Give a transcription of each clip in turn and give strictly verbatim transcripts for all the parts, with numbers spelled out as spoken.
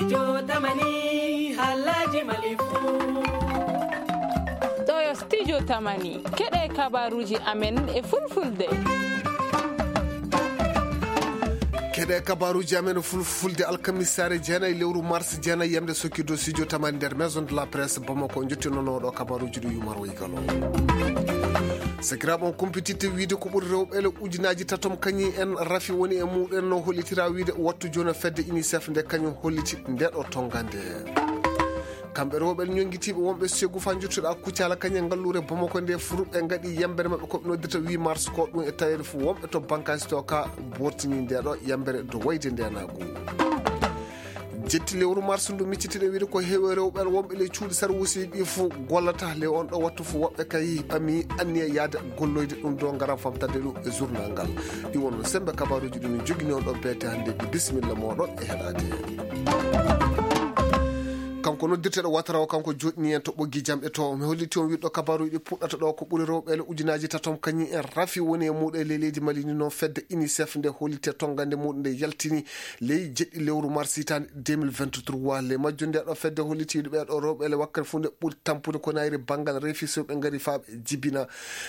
Jotamani, Alhaji Malifu. Ɗo yo Studio Tamani, keɗe kabaruji amen e fulfulde. Keɗe kabaruji amen e fulfulde alkamisare jeenayi lewru mars jeenayi yamde sokkido Studio Tamani nder Maison de la Presse Bamako. Jottinono ɗo kabaruji ɗo yumar woygalo. Sakiraaɓe, on kumpititte wiide ko ɓuri rewɓe ele ujunaji tatom kañum en rafi woni e muɗen no hollitira wiide wattu joni fedde UNICEF nde kañum holliti nde ɗo tongande. Kamɓe rewɓe ñonngitiiɓe wonɓe segu fa jottuɗa Kuccala kañum e ngalluure Bamako nde furuɓe ngaɗi yambere maɓɓe ko ɓe noddata huit mars ko ɗum e taweede fof wonɓe to bankaasi to ka bortini nde ɗo yambere do wayde ndenagu. Jetti lewru mars ndu miccitiɗen wiide ko heewi rewɓe wonɓe ley cuuɗi sarwuusiiɓe fof gollata ley on ɗo wattu fof woɓɓe kay ɓami anniya yaade golloyde ɗum ɗo ngaran famtande ɗum e journal ngal. Ɗi won sembe kabaruuji ɗum min jogini on ɗo beete hannde. Bisimilla mooɗon e heɗaade. Kanko noddirteɗo Watara o, kanko joɗɗini en to ɓoggi jamɗe to. Mi holliti on wiɗɗo kabaruuji ɗi puɗɗata ɗo ko ɓuri rewɓe ele ujunaji tatom kañum en rafi woni e muɗo e ley leydi Mali ni noon fedde UNICEF nde holliti e tongande muɗum nde yaltini ley jeɗɗi lewru mars hitaande deux mille vingt-trois. Le majjo nde ɗo fedde holliti wiɗo ɓe ɗo rewɓe ele wakkati fof nde ɓuri tampude ko nayri banngal refi so ɓe ngari fa ɓe jibina.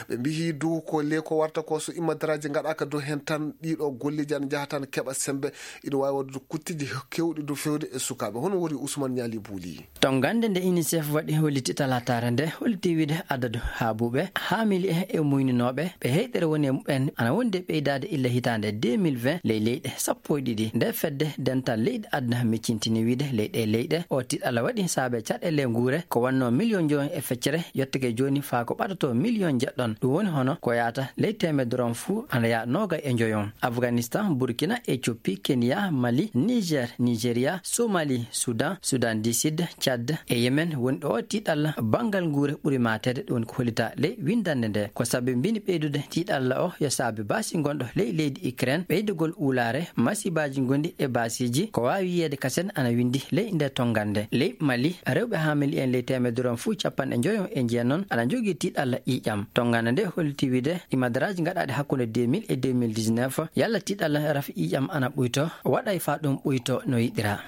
Ɓe mbiyi du ko le ko warta ko so immadaraaji ngaɗaaka dow heen tan, ɗiɗo golleeji ana njaha tan keɓa semmbe. Ina waawi waɗude kuttiji keewɗi dow feewde e sukaaɓe. Hono woni Ousmane Ñaali Buuli? Tongande nde UNICEF waɗi holliti talaataare nde, holliti wiide adadu haabuɓe, haamili e, e muyninooɓe, ɓe heyɗere woni e muɓɓen, ana wondi e ɓeydaade illa hitaande deux mille vingt ley leyɗe sappo e ɗiɗi. Nde fedde dental leyɗe aduna miccintini wiide ley ɗe leyɗe, o tiɗalla waɗi saabe caɗeele nguure, ko wannoo miliyon jowi e feccere, yottake jooni faa ko ɓadato miliyon jeɗɗon. Ɗum woni hono ko yaata ley teemedere on fuu ana yaa noogay e njoyon. Afganistan, Burkina, Ethiopie, Kenya, Mali, Niger, Nigeria, Somali, Sudan, Sudan du Sud, Tchad e Yemen woni ɗo tiɗalla banngal nguure ɓuri maateede, ɗum woni ko hollita ley winndannde nde. Ko sabi mbini ɓeydude tiɗalla o yo saabi baasi ngonɗo ley leydi Ukraine, ɓeydugol uulaare, masibaaji ngonɗi e baasiiji, ko waawi yiyeede kasen ana winndi ley nde tongannde. Ley Mali, rewɓe haamili en ley teemedere on fuu capanɗe njoyon e jeenon ana njogii tiɗalla ƴiiƴam. Tongannde nde holliti wiide imadaraaji gaɗaaɗi hakkunde deux mille e deux mille dix-neuf, yalla tiɗalla rafi ƴiiƴam ana ɓuyto, waɗay faa ɗum ɓuyto no yiɗira.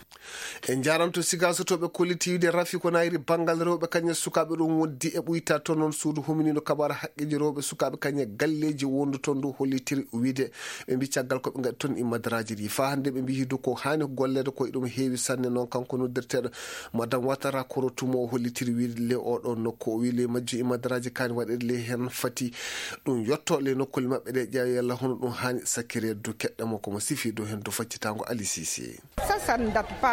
En njaaranto Sigaso to ɓe kolliti wiide rafi ko nayri banngal rewɓe kañum e sukaaɓe ɗum wondi e ɓuyta to noon suudu huminino kabaara haqqeeji rewɓe sukaaɓe kañum e galleeji wondu toon ndu hollitiri wiide ɓe mbi caggal ko ɓe ngaɗi toon imadaraaji ɗi. Faa hannde ɓe mbi hidu ko haani golleede ko e ɗum heewi sanne noon kanko noddirteeɗo Madame Ouattara Koro Touma o hollitiri wiide le oɗo nokku o wi le majjo imadaraaji kaani waɗeede le heen fati ɗum yotto le nokkuule maɓɓe ɗe ƴeewa yalla hono ɗum haani sakkiri du keɗɗe mo ko mo sifi dow heen dow faccitango Ali Cissé.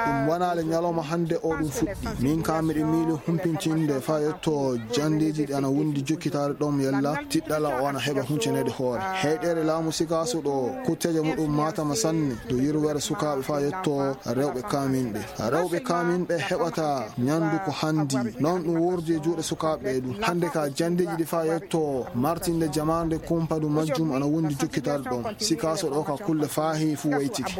Ɗum wanaale ñalawma hannde o ɗum fuɗɗi. Min ka miɗo miili humpintinde faa yetto janndeeji ɗi ana wondi jokkitaade ɗoon yalla tiɗɗala o ana heɓa huncaneede hoore. Heyɗeere laamu Sikaaso ɗo kutteeje muɗum maatama sanne dow yirweere sukaaɓe faa yetto rewɓe kaaminɓe. Rewɓe kaaminɓe heɓata ñanndu ko hanndi. Noon ɗum wordi e juuɗe sukaaɓe ɓe ɗum. Hannde ka janndeeji ɗi faa yetto martinde jamaande kumpadu majjum ana wondi jokkitaade ɗoon. Sikaaso ɗo ka kulle faa heewi fuu waytiki.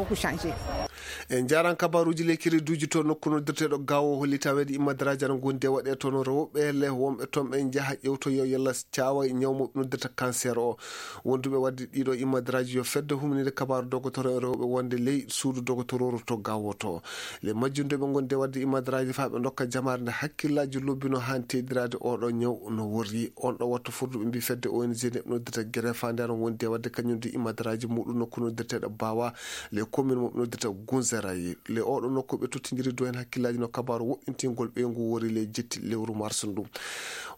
En njaaran kabaruuji lekkiri duuji to nokku noddirteeɗo Gaawo holli taweede imadaraaji ana ngondi e waɗe toon rewɓe le wonɓe toon ɓe njaha ƴewtoyo yalla caawa e ñaw mo noddirta cancer o. Wonduɓe waɗde ɗiɗo imadaraaji yo fedde huminide kabaaru dogotoro e rewɓe wonde ley suudu dogotororu to Gaawo to. Le majjunde ɓe ngondi e waɗde imadaraaji faa ɓe ndokka jamaare nde hakkillaaji lobbino haan teddiraade oɗo ñaw no worri. On ɗo wattu furduɓe mbi fedde O N G nde ɓe noddirta Gerefa nde ana wondi e waɗde kañum nde imadaraaji muɗum nokku noddirteeɗo Baawa le commune mo ɓe noddirta Gunzeraye. Le oɗo nokku ɓe tottindiri du en hakkillaaji no kabaaru woɗɗintingol ɓeyngu wori le jetti lewru mars ndu.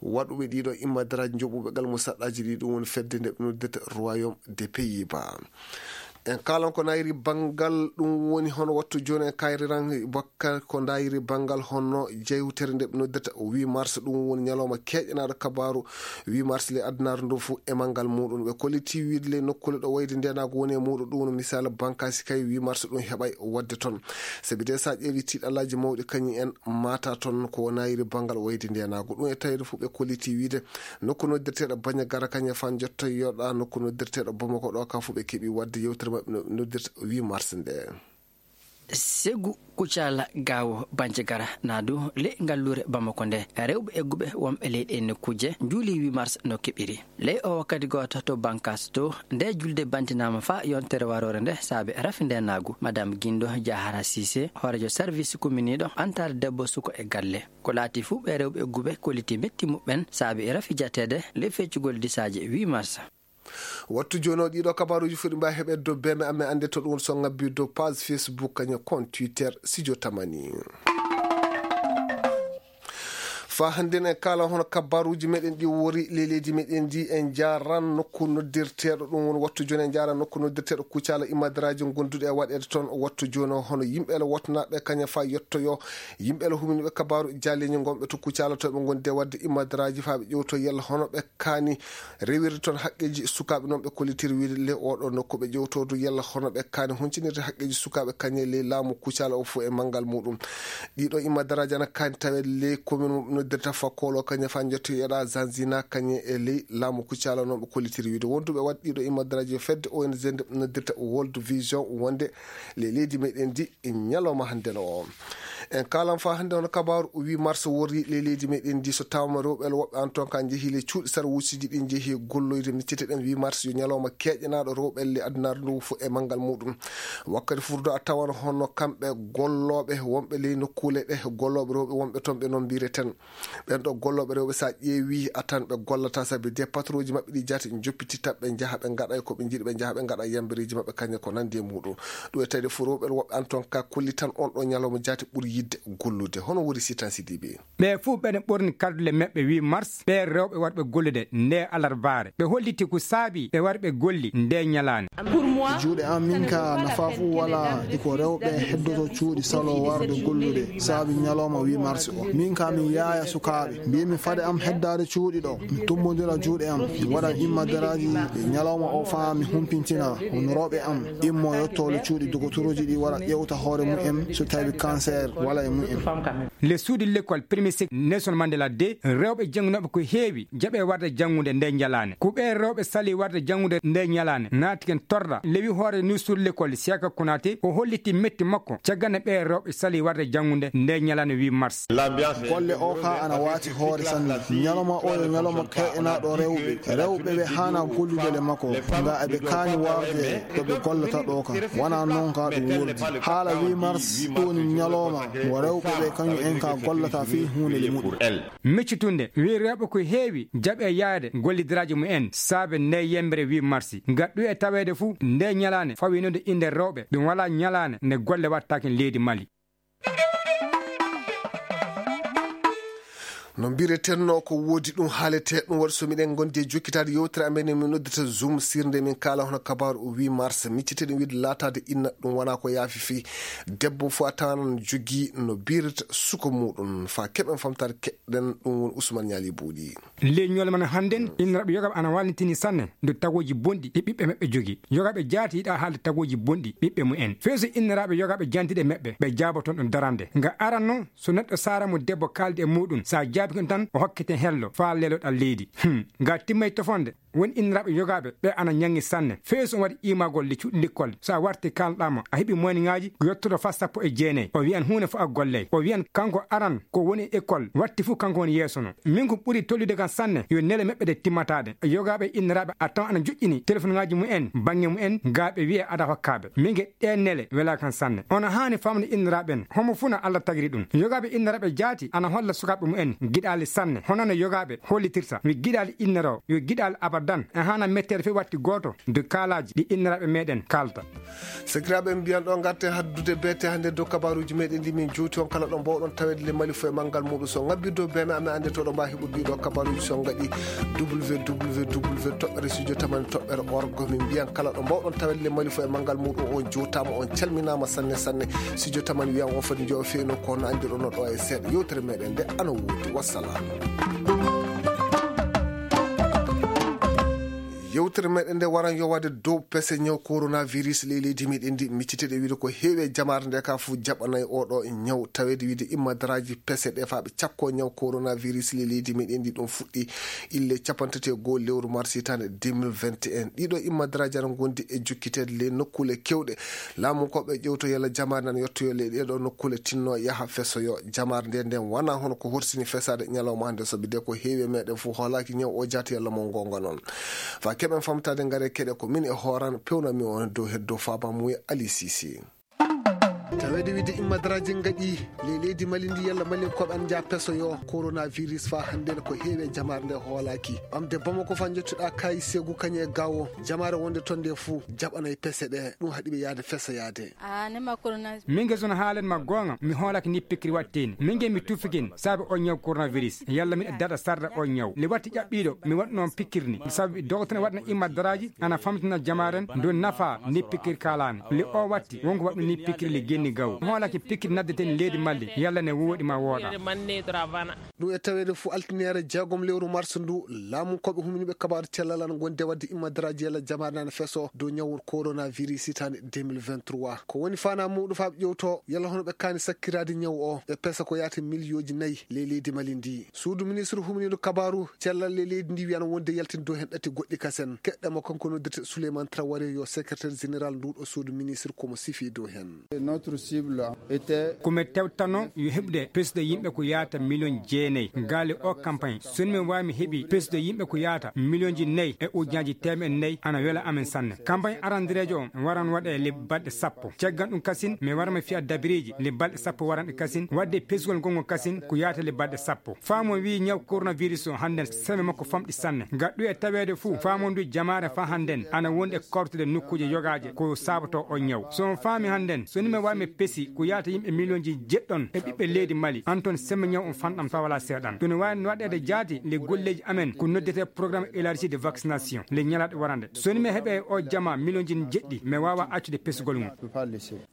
Waɗuɓe ɗiɗo imadaraaji njoɓuɓe gal mo saɗɗaaji ɗi ɗum woni fedde nde ɓe noddirta Royaume des Pays-Bas. En kaalan ko nayri banngal ɗum woni hono wattu jooni en kayriran bakka ko ndayri banngal hono jewtere nde ɓe noddirta huit mars ɗum woni ñalawma keeƴanaaɗo kabaaru huit mars le adunaaru ndu fof e manngal muɗum ɓe kolliti wiide le nokkuule ɗo wayde ndenaagu woni e muɗum ɗum woni misal bankaasi kay huit mars ɗum heɓay waɗde toon. Sabi de so a ƴeewi tiiɗalaaji mawɗi kañum en mata toon ko wonayri banngal wayde ndenaagu ɗum e tawde fof ɓe kolliti wiide nokku noddirteeɗo Bañagara kañum e fan jottoyoɗa nokku noddirteeɗo Bamako ɗo ka fof ɓe keɓi waɗde yewtere maɓɓe no noddirta huit mars nde. Segu Kucala Gawo Banjagara Nadu le ngalluure Bamako nde, rewɓe egguɓe wonɓe leyɗe nokkuuje njuuli huit mars no keɓiri. Ley o wakkati gooto to Bankas to, nde julde bantinaama fa yontere waroore nde saabe rafi nde naagu. Madame Gindo Jahara Sise, hoorejo service kuminiiɗo antaare debbo suko e galle. Ko laati fuu ɓe rewɓe egguɓe kolliti metti muɓɓen saabe e rafi jateede ley feccugol disaaji huit mars. Wattu jooni o ɗiɗo kabaaruuji fuɗi mba heɓe dow beme amen annde to ɗum so ngabbi dow page Facebook kañum compte Twitter Sijo Tamani. Fa hannde en kala hono kabaaruuji meɗen ɗi wori ley leydi meɗen ndi en njaran nokku noddirteeɗo ɗum woni wattu jooni en njaran nokku noddirteeɗo Kucala imadaraaji gonduɗe e waɗeede toon wattu jooni o hono yimɓe ele wotnaaɓe kañum fa yettoyo yimɓe ele huminiɓe kabaaru jaaleeji gonɓe to Kucala to ɓe ngondi e waɗde imadaraaji fa ɓe ƴewto yalla hono ɓe kaani rewirde toon haqqeeji sukaaɓe noon ɓe kollitiri wiide le oɗo nokku ɓe ƴewtodu yalla hono ɓe kaani huncinirde haqqeeji sukaaɓe kañe ley laamu Kucala o fof e manngal muɗum. Ɗiɗo imadaraaji ana kaani taweede ley commune mo ɓe noddirta Fakkoolo kañe fa njetto yeɗa Zanzina kañe e ley laamu Kucala noon ɓe kollitiri wiide wonduɓe waɗ ɗiɗo imadaraaji yo fedde O N G nde ɓe noddirta World Vision wonde ley leydi meɗen ndi ñalawma hannde no o. En kaalan fa hannde hono kabaaru huit mars worri ley leydi meɗen ndi so tawama rewɓe woɓɓe an toon ka njehi le cuuɗi sara wucciji ɗi njehi golloyde micciteɗen huit mars yo ñalawma keeƴanaaɗo rewɓe le addunaare ndu fof e manngal muɗum. Wakkati furdo a tawan hono kamɓe gollooɓe wonɓe ley nokkuule ɗe gollooɓe rewɓe wonɓe toon ɓe noon mbireten ɓen ɗo gollooɓe rewɓe so a ƴeewi a tan ɓe gollata sabi de patronji maɓɓe ɗi jaati joppititta ɓe njaha ɓe ngaɗa e ko ɓe njiɗi ɓe njaha ɓe ngaɗa yambireeji maɓɓe kañe ko nandi e muɗum. Ɗum e tawi de fof rewɓe woɓɓe an toon ka kollitan on ɗo ñalawma jaati ɓuri yidde gollude hono woni sitan sidiɓe. Ɓe fof ɓeɗe ɓorni kardule maɓɓe huit mars ɓe rewɓe warɓe gollude nde alarbaare ɓe holliti ko saabi ɓe wari ɓe golli nde ñalaande. Juuɗe am min ka nafa fof wala iko rewɓe heddoto cuuɗi salo warde gollude saabi ñalawma huit mars o min ka min yaaya sukaaɓe mbiymi faade am heddaade cuuɗi ɗo mi tumbodira juuɗe am mi waɗa immadaraaji e ñalawma o faa mi humpintina hono rewɓe am immo yottole cuuɗi dogotorooji ɗi wara ƴewta hoore mumen so tawi cancer wala e mumen. Le suudu lekkol premier cycle Nelson Mandela de rewɓe janngunooɓe ko heewi jaɓe warde janngude nde ñalaande ko ɓe rewɓe sali warde janngude nde ñalaande naati ken torra lewi hoore ni suudu lekkol Siaka Konate o holliti metti makko caggal nde ɓe rewɓe sali warde janngude nde ñalaande huit mars. Golle o ka ana waati hoore sanne ñalawma o yo ñalawma keeɗanaaɗo rewɓe rewɓe ɓe haana gollude le makko nga eɓe kaani warde ɗo ɓe gollata ɗo ka wona noon ka ɗum woldi haala huit mars ɗum woni ñalawma mo rewɓe ɓe kañum en ka gollata fii huunde le muɗum. Miccitunde wi rewɓe ko heewi jaɓe yaade gollidiraaji mumen saabe nde yembere huit mars nga ɗum e taweede fuu nde ñalaande fawinode innde rewɓe ɗum wala ñalaande nde golle wattaake leydi Mali. No mbiretenno ko woodi ɗum haalete ɗum waɗi so miɗen gondi e jokkitaade yewtere amen e min noddata zoom sirnde min kaala hono kabaaru o huit mars micciteɗen wiide laataade inna ɗum wona ko yaafi fii debbo fof a tawanan jogii no birata suka muɗum fa keɓen famtaade keɗɗen ɗum woni Ousmane Ñaali Buuɗi. Ley ñoole men hannden inniraaɓe yogaaɓe ana wallitini sanne nde tagooji bonɗi ɗi ɓiɓɓe maɓɓe jogii. Yogaaɓe jaati yiɗa haalde tagooji bonɗi ɓiɓɓe mumen feeso inniraaɓe yogaaɓe jantiɗe maɓɓe ɓe jaabo toon ɗum darande nga aranno so neɗɗo saara mo debbo kaaldi e muɗum so a jaabi kon tan o hokkete hello faa leloɗa leydi. Hmm. Nga timmay tofonde woni inniraaɓe yogaaɓe ɓe ana ñaŋŋi sanne feeso on waɗi iimagol le cuuɗi lekkol so a warti kaalɗaama a heɓi moyniŋaaji ko yottoto faa sappo e jeenay o wiyan huunde fof a gollay o wiyan kanko aran ko woni e école watti fof kanko woni yeeso no min ko ɓuri tollude kan sanne yo nele meɓɓe ɗe timmataade yogaaɓe inniraaɓe a tawa ana joƴƴini telefonŋaaji mumen baŋŋe mumen gaa ɓe wiya ada hokkaaɓe min ge ɗee nele welaa kan sanne ono haani famde inniraaɓe en homo fuu na allah tagiri ɗum yogaaɓe inniraaɓe jaati ana holla sukaaɓe mumen giɗaali sanne hono no yogaaɓe hollitirta wi giɗaali inniroo yo giɗaali abadan e haana metteede fof watti gooto de kaalaaji ɗi inniraaɓe meɗen kaalta. Sakiraaɓe en mbiyan ɗo ngarte haddude beete hannde dow kabaaruuji meɗen ndi min jowti on kala ɗo mbawɗon taweede le mali fof e manngal muɗum so ngabbi dow beme amen annde toɗo mba heɓude ɗiɗo kabaaruuji so ngaɗi www toɓɓere studio tamani toɓɓere org min mbiyan kala ɗo mbawɗon taweede le mali fof e manngal muɗum on jowtaama on calminaama sanne sanne studio tamani wiyan on foti jowo feeno kono anndiɗon no ɗo e seeɗa yewtere meɗen nde ana woodi wassalam. Yewtere meɗen nde waran yowaade dow pese ñaw coronavirus ley leydi meɗen ndi, micciteɗe wiide ko heewi e jamaare nde ka fof jaɓanay oɗo ñaw, taweede wiide immadaraaji pese ɗe faa ɓe cakko ñaw coronavirus ley leydi meɗen ndi. Ɗum fuɗɗi ille capanɗe tati e goo lewru mars hitaande deux mille vingt et un. Ɗiɗo immadaraaji ana ngondi e jukkiteede ley nokkuule kewɗe. Laamu ko ɓe ƴewto yalla jamaare nan yettoyo ley ɗeɗo nokkuule tinno yaha fesoyo. Jamaare nde nden wana hono ko horsini fesaade ñalawma hannde, sabi de ko heewi e meɗen fof hoolaaki ñaw o jaati yalla mo ngonga noon. Fa keɓen famtaade ngare keɗe ko min e hooran pewnami on dow heddo faaba muye Ali Sisi. Taweede wiide immadaraaji ngaɗi ley leydi Mali ndi yalla Mali ko ɓe an jaa pesoyo coronavirus fa hannde ko heewi e jamaare nde hoolaaki. Ɓamde Bamako fa jottuɗa kay segu kañe e gawo jamaare wonde ton nde fuu jaɓanay pese ɗe. Ɗum haɗi ɓe yaade fesoyaade. Ah, nema corona. Min nge sona haalen ma goonga, mi hoolake ni pikkiri watteni. Min nge mi tufikin, sabi on ñaw coronavirus. Yalla mi daɗa sarda on ñaw. Le watti ƴaɓɓiɗo, mi waɗno pikkirni. Sabi docteur waɗna imma daraji, ana famtina jamaren, do nafa ni pikkiri kalani. Le o watti, wonko waɗno ni pikkiri le genni gaw. Hoolake pikkiri naddeten leydi Mali, yalla ne woɗi ma woɗa. Ɗum e taweede fuu altiniere jeegom lewru mars ndu, laamu koɓe humniiɓe kabaaru cellal ana ngondi e waɗde immadaraaji yalla jamaare nana feso dow ñawu coronavirus hitaande deux mille vingt-trois. Ko woni faanaa muuɗum faa ɓe ƴewto yalla hono ɓe kaani sakkiraade ñawu o, ɓe pesa ko yaata miliyooji nayi ley leydi Mali ndi. Suudu ministre humniiɗo kabaaru cellal ley leydi ndi wi'ana wonde yaltin dow heen ɗati goɗɗi kasen. Keɗɗa mo kanko noddirte Souleymane Traoré yo secrétaire général nduuɗo suudu ministre ko mo sifi dow heen. Notre cible était Ko mi tewtano yo heɓde pesde yimɓe ko yaata miliyon jeenayi. Gaali o campagne, so mi waawii mi heɓi pesde yimɓe ko yaata miliyonji nayi e ujunnaaji teemeɗɗe nayi, ana wela amen sanne. Campagne arandireejo on waran waɗe le balɗe sappo. Caggal ɗum kasin, mi wara mi fiya dabiriiji le balɗe sappo waranɗe kasin, waɗde pesgol ngol ngol kasin ko yaata le balɗe sappo. Faamu o wi'i ñaw coronavirus o hannden seme makko famɗi sanne. Gaɗɗu e taweede fuu, faamu ndu jamaare faa hannden ana wondi e kortude nokkuuje yogaaje ko sabato o ñaw. So on faami hannden, so ni mi waawii mi pesi ko yaata yimɓe miliyonji jeɗɗon e ɓiɓɓe leydi Mali, an toon seme ñaw on fanɗam faa walaa seeɗan. Ɗum ne waawi waɗeede jaati le golleeji amen ko noddetee programme élargi de vaccination le ñalaaɗe warande. So ni mi heɓe o jama miliyonji jeɗɗi, mi waawa accude pesgol ngol.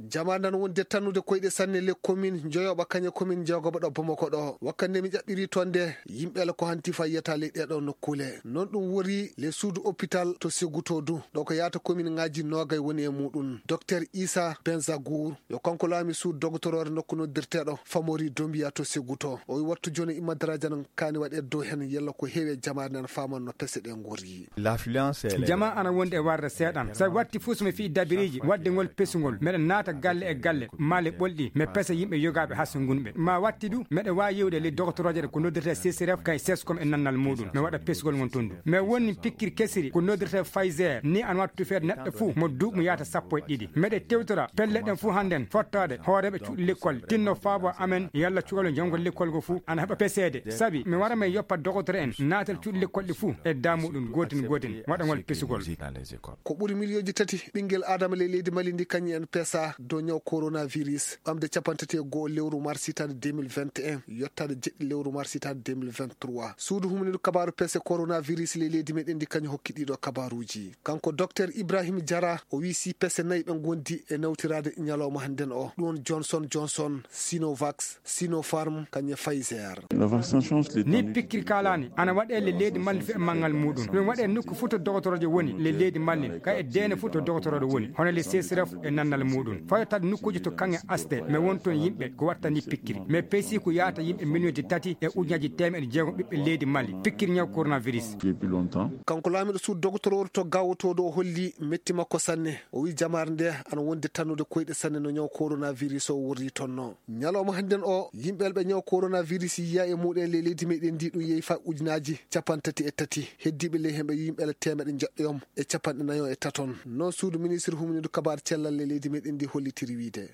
Jamaare nan wonde tannude koyɗe sanne le commune njoyoɓa kañe commune jeegoɓa ɗo Bamako ɗo. Wakkande mi ƴaɓɓiri toon nde, yimɓe ala ko hanti fayata ley ɗeɗo nokkuule. Noon ɗum wori le suudu hôpital to Seguto du. Ɗo ko yaata commune ŋaaji noogay woni e muuɗum. Docteur Issa Benzagour, yo kanko laami suudu dogotoroore nokku noddirteeɗo Famori Dombiya to Seguto. O wi wattu jooni immadaraaji nan kaani waɗe dow heen yalla ko heewi e jamaare nan faaman no pese ɗe ngorri. L'affluence, elle est Jama ana wonde e warde seeɗan. Sabi watti fuu so mi fii dabiriiji waɗde ngol pesugol, meɗen naata galle e galle, maale ɓolɗi, mi pesa yimɓe yogaaɓe haa so ngunɓe. Ma watti du, meɗe waawi yewde le dogotorooje ɗe ko noddirtee C C R F kay seskom e nannal muuɗum. Mi waɗa pesugol ngon ton du. Mi wonni pikkiri kesiri ko noddirtee Pfizer, ni an wattu feede neɗɗo fuu mo duuɓi mo yaata sappo e ɗiɗi. Meɗe tewtora pelle ɗen fuu hannden fottaade hooreeɓe cuuɗi lekkol, tinno faabo amen yalla cukalɓe janngol lekkol go fuu ana heɓa peseede. Sabi mi wara mi yoppa dogotoro en naatal cuuɗi lekkol ɗi fuu e damuɗum gootin gootin waɗangol pesugol. Ko ɓuri miliyonji tati ɓinngel Adama ley leydi Mali ndi kañum en pesa dow ñaw coronavirus, ɓamde capanɗe tati e go'o lewru mars hitaande deux mille vingt et un, yottaade jeɗɗi lewru mars hitaande deux mille vingt-trois. Suudu humniiɗo kabaaru pese coronavirus ley leydi meɗen ndi kañum hokki ɗiɗo kabaaruuji. Kanko Docteur Ibrahim Jara, o wi si pese nayi ɓe ngondi e nawtiraade ñalawma hannden o. Ɗum woni Johnson Johnson, Sinovac, Sinopharm, kañum e Pfizer. Ni pikkiri kaalani ana waɗe le leydi Mali fe manngal muuɗum. Ɗum waɗe nokku fuu to dogotoroojo woni le leydi Mali, ka e deene fuu to dogotorooɗo woni, hono le C C R F e nannal muuɗum. Fayotaade nokkuuji to kaŋŋe asde, mi won toon yimɓe ko wattani pikkiri. Mi pesi ko yaata yimɓe miliyonji tati e ujunnaaji teemeɗe jeegom ɓiɓɓe leydi Mali pikkiri ñaw coronavirus. Depuis longtemps. Kanko laamiɗo suudu dogotorooru to gawotooɗo o holli metti makko sanne. O wi jamaare nde ana wonde tannude koyɗe sanne no ñaw coronavirus o worri tonno. Ñalawma hannden o, yimɓe ɓe ñaw coronavirus yiya e muɗen le leydi meɗen ndi ɗum yehi fa ujunnaaji capanɗe tati e tati. Heddiiɓe ley hemɓe yimɓe teemeɗe njeɗɗoyom e capanɗe nayo e taton. Noon suudu ministre humniiɗo kabaaru cellal le leydi meɗen ndi hollitiri wiide.